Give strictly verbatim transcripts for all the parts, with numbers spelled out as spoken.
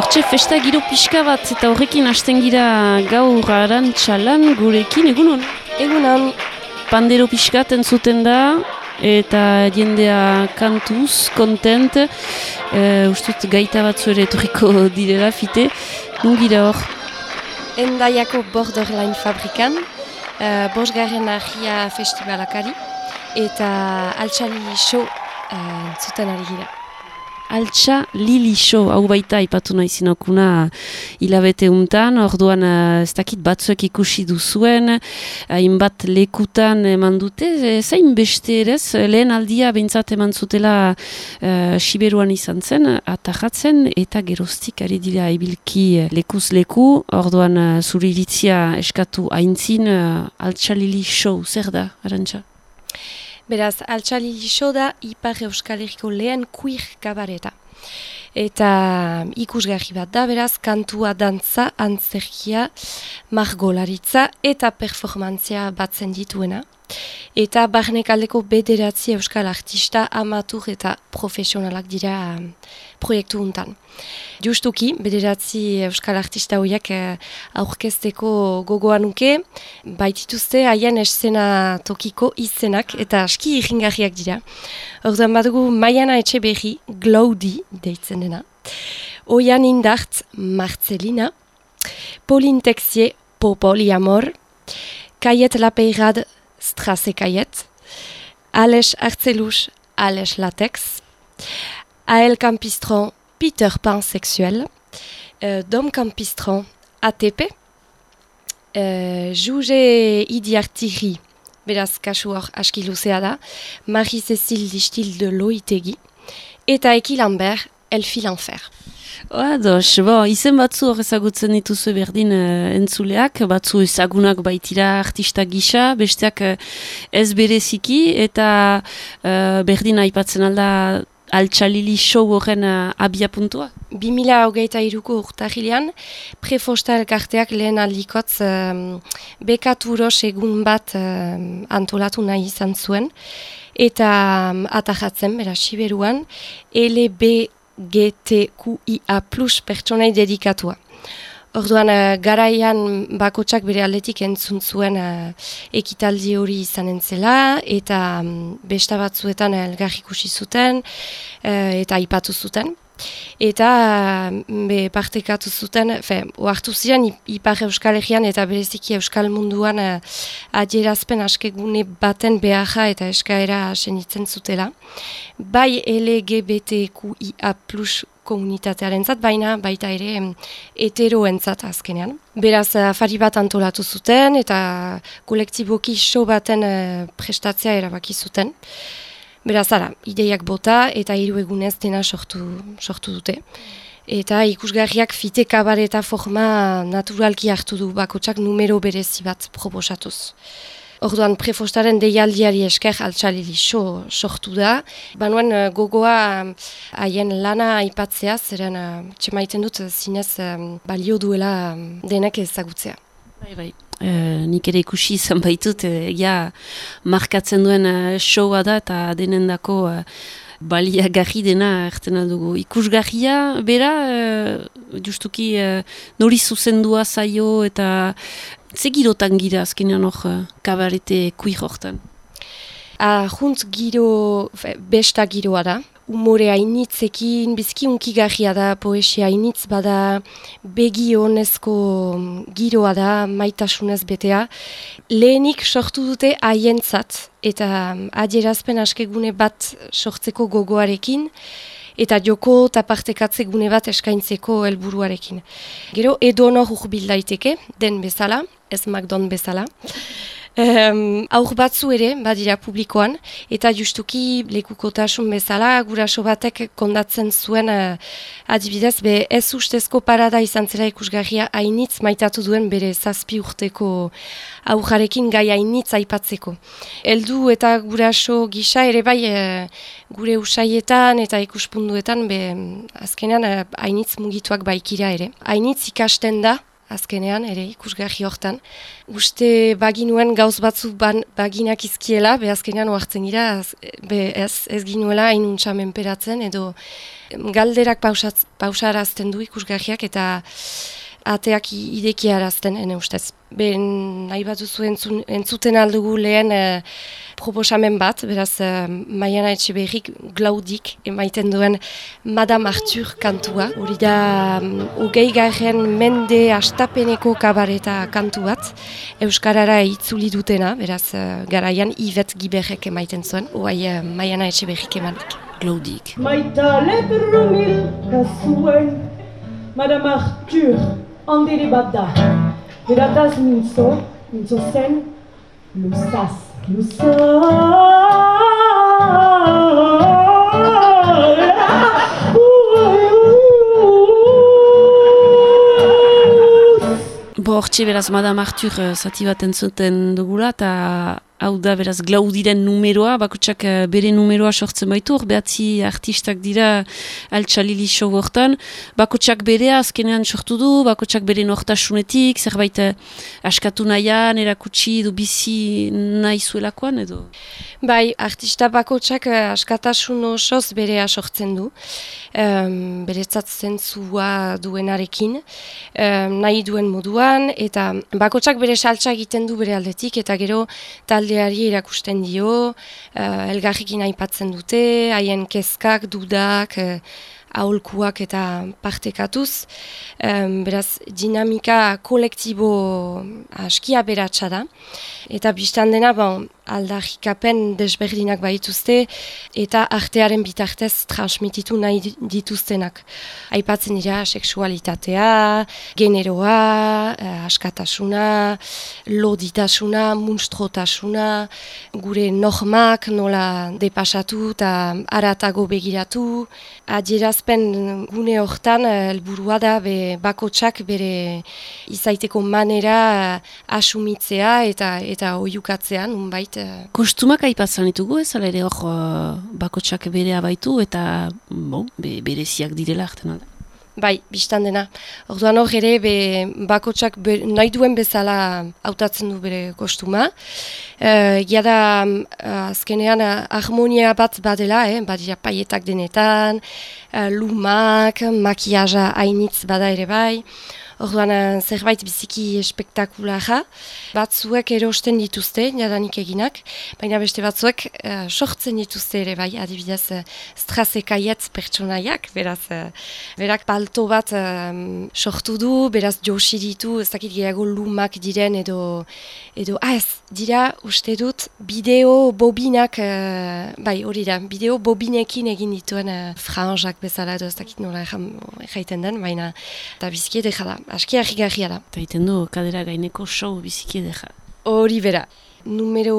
Hortxe festa giro pixka bat eta horrekin hasten gira gaur Arantxalan gurekin egunon. Egunon. Pandero pixkat entzuten da eta jendea kantuz, kontent. E, ustut gaita batzu ere etorriko direla fite. Nun gira hor? Endaiako Borderline fabrikan, uh, bosgarren argia festivalakari eta Altxa Lili Show uh, entzuten ari gira. Altxa Lili Show, hau baita ipatu nahi zinokuna hilabete untan, orduan ez dakit batzuek ikusi duzuen, hainbat lekutan eman dute, zain beste erez, lehen aldia behintzat eman zutela uh, Siberuan izan zen, atajatzen eta geroztik ari dira ibilki lekuz leku, orduan uh, zuri iritzia eskatu haintzin uh, Altxa Lili Show, zer da, Arantxa? Beraz, Altxa Lili Show da Ipar Euskal Herriko lehen queer kabareta. Eta ikusgarri bat da, beraz, kantua, dantza, antzerkia, margolaritza eta performantzia batzen dituena. Eta barnekaldeko bederatzi euskal artista, amatur eta profesionalak dira um, proiektu untan. Justuki, bederatzi euskal artista horiek uh, aurkezteko gogoa nuke, baitituzte haien eszena tokiko izenak eta aski irringarriak dira. Orduan badugu Maiana Etxeberri, Glaudi deitzen dena, Oian Indart, Marcelina, Pauline Texier, Popoli Amor, Kayet Lapeirad, Strasse Kayet, Ales Arcelus, Ales Latex, Ael Campistron, Peter Pan Sexuel, euh, Dom Campistron, A T P, euh, Juge Idiartiri, beraz kasu hor aski luzea da, Marie-Cécile Distil de Loitegi, eta Eki Lambert, Elle fit l'enfer. Ados, bo, izen batzu hor ezagutzen dituzu berdin uh, entzuleak, batzu ezagunak baitira artista gisa, besteak uh, ez bereziki, eta uh, berdin aipatzen alda Altxa Lili Show horren uh, abia puntua? bi mila hogeita hiruko urtarrilean, Prefosta elkarteak lehen aldikotz um, bekaturos egun bat um, antolatu nahi izan zuen, eta um, atajatzen, beraz, Siberuan, L B G T Q I A plus pertsonai dedikatua. Orduan, uh, garaian bakotsak bere aldetik entzun zuen uh, ekitaldi hori izan entzela, eta um, besta batzuetan elgarri ikusi zuten, uh, eta aipatu zuten. Eta be, partekatu zuten, fe, oartu ziren Ipar Euskal Herrian eta bereziki Euskal munduan uh, adierazpen askegune baten beharra eta eskaera senitzen zutela. Bai L G B T Q I A plus komunitatearen zat, baina baita ere heteroentzat azkenean. Beraz, afari bat antolatu zuten eta kolektiboki show baten uh, prestatzea erabaki zuten. Beraz, ara, ideiak bota eta hiru egunez dena sortu, sortu dute. Eta ikusgarriak fite kabareta forma naturalki hartu du bakotsak numero berezi bat proposatuz. Orduan Prefostaren deialdiari esker Altxa Lili Show sortu da. Banuen uh, gogoa haien um, lana aipatzea, zeren uh, txemaiten dut zinez um, balio duela um, denek ezagutzea. Bai, bai. Uh, nik ere ikusi izan baitut, uh, ja markatzen duen uh, showa da eta denendako uh, baliagarri dena erten aldugu. Ikusgarria, bera, uh, justuki uh, nori zuzendua zaio eta zegirotan gira azkenean hor uh, kabarete kuir hortan? Ahuntz giro, fe, besta giroa da. Umore hainitzekin, bizki unkigarria da, poesia hainitz bada, begi honezko giroa da, maitasunez betea. Lehenik sortu dute haientzat eta adierazpen askegune bat sortzeko gogoarekin, eta joko eta partekatze gune bat eskaintzeko helburuarekin. Gero, edonor urbil daiteke, den bezala, ez McDon bezala. Um, aur batzu ere, badira publikoan, eta justuki lekukotasun bezala, guraso batek kondatzen zuen uh, adibidez, be ez ustezko parada izan zela ikusgarria hainitz maitatu duen bere zazpi urteko aurrarekin gai hainitz aipatzeko. Heldu eta guraso gisa ere bai uh, gure usaietan eta ikuspunduetan be azkenean uh, hainitz mugituak baikira ere. Hainitz ikasten da, azkenean, ere ikusgarri hortan. Uste baginuen gauz batzu ban, baginak izkiela, be azkenean oartzen gira, be ez, ez ginuela hain untsa menperatzen, edo galderak pausatz, pausarazten du ikusgarriak eta ateak idekiarazten, ene ustez. Ben nahi bat duzu entzun, entzuten aldugu lehen e, proposamen bat, beraz e, Maiana Etxeberrik Glaudik emaiten duen Madame Arthur kantua. Hori da hogei garren mende astapeneko kabareta kantu bat, Euskarara itzuli dutena, beraz e, garaian Yvette Giberrek emaiten zuen, oai e, Maiana Etxeberrik emanik. Glaudik. Maita lebrumil kasuen Madame Arthur handiri bat da. Berataz mintzo, mintzo zen, luzaz, luzaz. Bo, hortxe beraz Madame Arthur uh, zati bat entzuten dugula, eta hau da beraz Glaudiren numeroa, bakotsak uh, bere numeroa sortzen baitu, hor behatzi artistak dira Altsalili show hortan, bakotsak berea azkenean sortu du, bakotsak bere nortasunetik, zerbait uh, askatu nahian, erakutsi du bizi nahi zuelakoan edo? Bai, artista bakotsak uh, askatasun osoz berea sortzen du, um, beretzat zentzua duenarekin, um, nahi duen moduan, eta bakotsak bere saltsa egiten du bere aldetik, eta gero taldeari erakusten dio, uh, elgarrikin aipatzen dute, haien kezkak, dudak, uh, aholkuak eta partekatuz. Um, beraz, dinamika kolektibo askia beratsa da. Eta biztan dena, bon, aldarrikapen desberdinak baituzte eta artearen bitartez transmititu nahi dituztenak. Aipatzen dira sexualitatea, generoa, eh, askatasuna, loditasuna, munstrotasuna, gure normak nola depasatu eta aratago begiratu. Adierazpen gune hortan helburua da be bakotsak bere izaiteko manera asumitzea eta eta oihukatzea nunbait. Kostumak aipatzen ditugu ez, ala ere hor uh, bakotsak berea baitu eta bon, be, bereziak direla arten alda. Bai, biztan dena. Orduan hor ere be, bakotsak be, nahi duen bezala hautatzen du bere kostuma. Uh, Gia da uh, azkenean uh, harmonia bat badela, eh? Badira paietak denetan, uh, lumak, makiaja hainitz bada ere bai. Orduan uh, zerbait biziki espektakulara. Batzuek erosten dituzte, jadanik eginak, baina beste batzuek uh, sortzen dituzte ere bai, adibidez uh, strasekaietz pertsonaiak, beraz, uh, berak palto bat um, sortu du, beraz josi ditu, ez dakit gehiago lumak diren edo, edo ah ez, dira uste dut bideo bobinak, uh, bai hori da, bideo bobinekin egin dituen uh, franjak bezala edo ez dakit nola erraiten den, baina eta biziki edera da. Aski harrigarria da. Eta egiten du kadera gaineko show biziki edera. Hori bera. Numero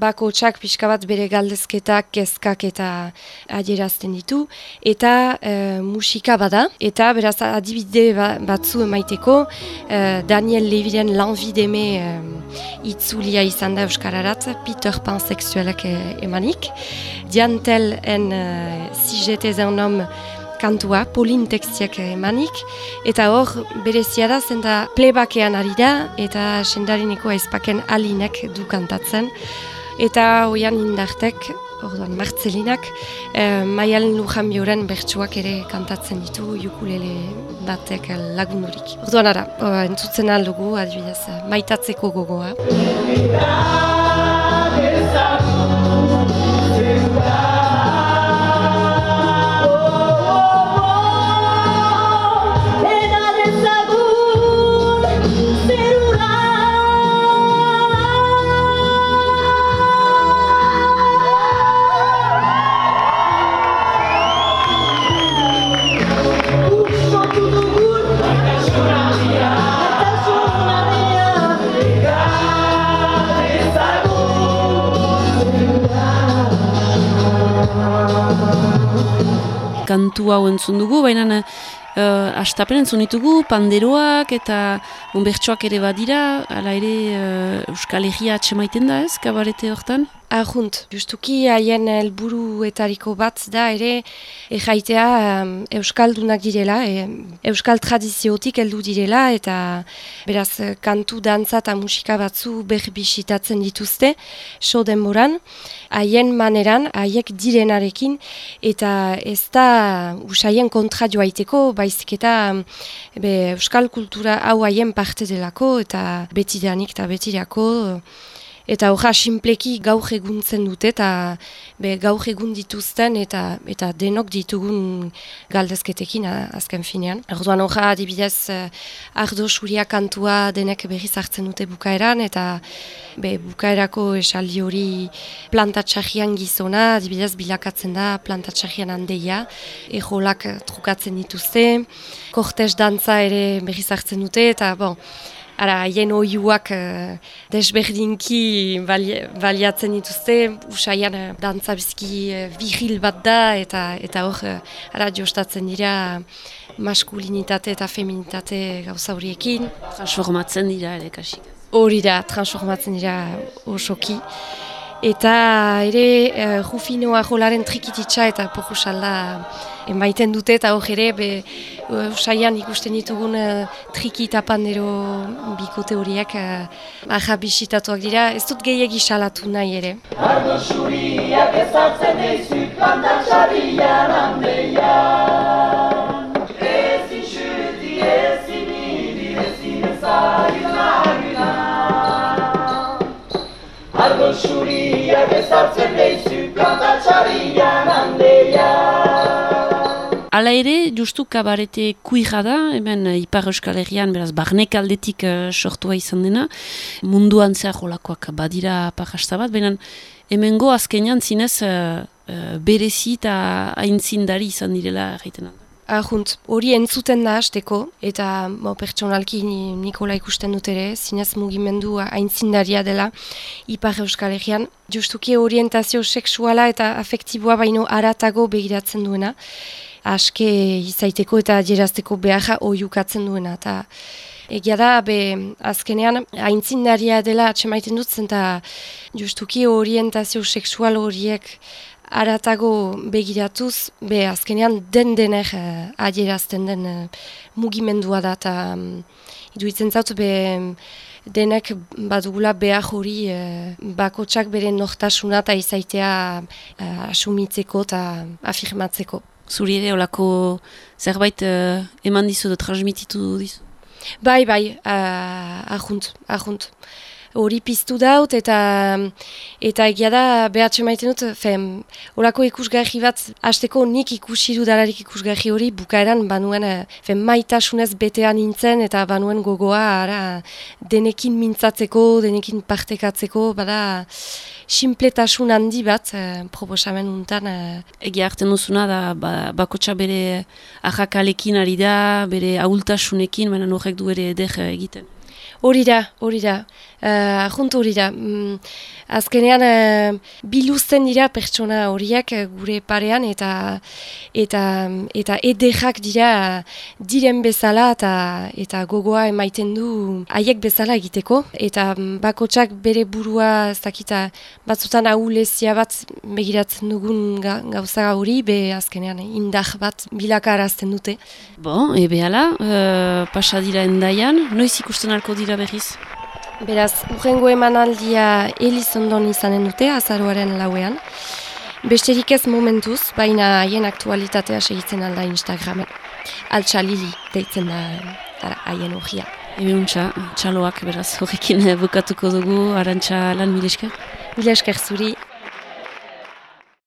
bakotsak pixka bat bere galdezketak, kezkak eta adierazten ditu. Eta e, musika bada. Eta beraz adibide batzu emaiteko e, Daniel Leviren L'Envie e, itzulia izan da euskararat, Peter Pan sexualak e, emanik. Diantel en e, Si j'étais un homme kantua, Polin tekstiak emanik, eta hor berezia da zen da plebakean ari da, eta sendarineko aizpaken alinek du kantatzen, eta hoian indartek, orduan Martzelinak, eh, Maialen Lujanbioren bertsuak ere kantatzen ditu, ukulele batek lagundurik. Orduan ara, oh, entzutzen aldugu, adibidez, maitatzeko gogoa. Kantu hau entzun dugu, baina uh, astapen entzun ditugu, panderoak eta onbertsoak ere badira, ala ere uh, Euskal Herria atxemaiten da ez, kabarete hortan? Ahunt, justuki haien helburuetariko bat da ere erraitea um, euskaldunak direla, e, euskal tradiziotik heldu direla eta beraz kantu, dantza eta musika batzu berbisitatzen dituzte so denboran, haien maneran, haiek direnarekin eta ez da usaien kontra joaiteko, baizik eta be, euskal kultura hau haien parte delako eta betidanik eta betirako. Eta horra sinpleki gaur eguntzen dute eta be, gaur egun dituzten eta eta denok ditugun galdezketekin azken finean. Orduan horra adibidez ardo suria kantua denek berriz hartzen dute bukaeran eta be, bukaerako esaldi hori plantatxarrian gizona, adibidez bilakatzen da plantatxarrian handeia, ejolak trukatzen dituzte, kortez dantza ere berriz hartzen dute eta bon, ara, haien oiuak uh, desberdinki bali, baliatzen dituzte, usaian uh, dantza bizki uh, vigil bat da, eta eta hor, uh, ara, jostatzen dira maskulinitate eta feminitate gauza horiekin. Transformatzen dira ere kasik. Hori da, transformatzen dira osoki. Eta ere, uh, Rufino Arrolaren trikititsa eta pojusalda emaiten dute, eta hor ere, be, usaian ikusten ditugun uh, triki eta pandero bikote horiek uh, aja bisitatuak dira, ez dut gehiagi salatu nahi ere. Ardo xuriak ezartzen eizu plantatxarrian handean, ezin xuti, ezin iri, ezin ezagin aginan. Ardo xuriak ezartzen eizu plantatxarrian handean. Hala ere, justu kabarete kuira da, hemen Ipar Euskal Herrian, beraz, barnek aldetik uh, sortua izan dena, munduan zehar jolakoak badira parrasta bat, baina hemengo azkenean zinez uh, uh, berezi eta aintzindari izan direla erraiten da. Ahunt, hori entzuten da hasteko, eta mo, pertsonalki Nikola ikusten dut ere, zinez mugimendu aintzindaria dela Ipar Euskal Herrian, justuki orientazio sexuala eta afektiboa baino aratago begiratzen duena, aske izaiteko eta adierazteko beharra oiukatzen duena. Eta egia da, be, azkenean, aintzindaria dela atsemaiten dut zen, eta justuki orientazio sexual horiek aratago begiratuz, be, azkenean den dener uh, adierazten den uh, mugimendua da, eta um, iduitzen zaut, be, denek badugula behar hori uh, bakotsak bere nortasuna eta izaitea uh, asumitzeko eta afirmatzeko. Zuri ere olako zerbait uh, eman dizu da transmititu dizu? Bai, bai, uh, ahunt, ahunt. Hori piztu daut eta eta egia da behatxe maiten dut, fem, horako ikusgarri bat, hasteko nik ikusi dudalarik ikusgarri hori, bukaeran banuen fem, maitasunez betean nintzen eta banuen gogoa ara, denekin mintzatzeko, denekin partekatzeko, bada sinpletasun handi bat eh, proposamen untan. Eh. Egia hartzen duzuna da ba, bakotxa bere ahakalekin ari da, bere ahultasunekin, baina horrek du ere eder egiten. Hori da, hori da, uh, ahunt hori da. Mm, azkenean uh, biluzten dira pertsona horiek uh, gure parean eta eta eta ederrak dira uh, diren bezala eta eta gogoa emaiten du haiek bezala egiteko. Eta um, bakotsak bere burua ez dakita batzutan ahulezia bat begiratzen dugun ga, gauza hori, be azkenean indar bat bilakarazten dute. Bon, ebe hala, uh, pasa dira endaian, noiz ikusten alko dira berriz? Beraz, urrengo emanaldia Elizondon izanen dute, azaroaren lauean. Besterik ez momentuz, baina haien aktualitatea segitzen alda Instagramen. Altxalili deitzen da haien horria. Ebe untxa, txaloak beraz horrekin bukatuko dugu, Arantxa lan, mil esker? Mil esker zuri.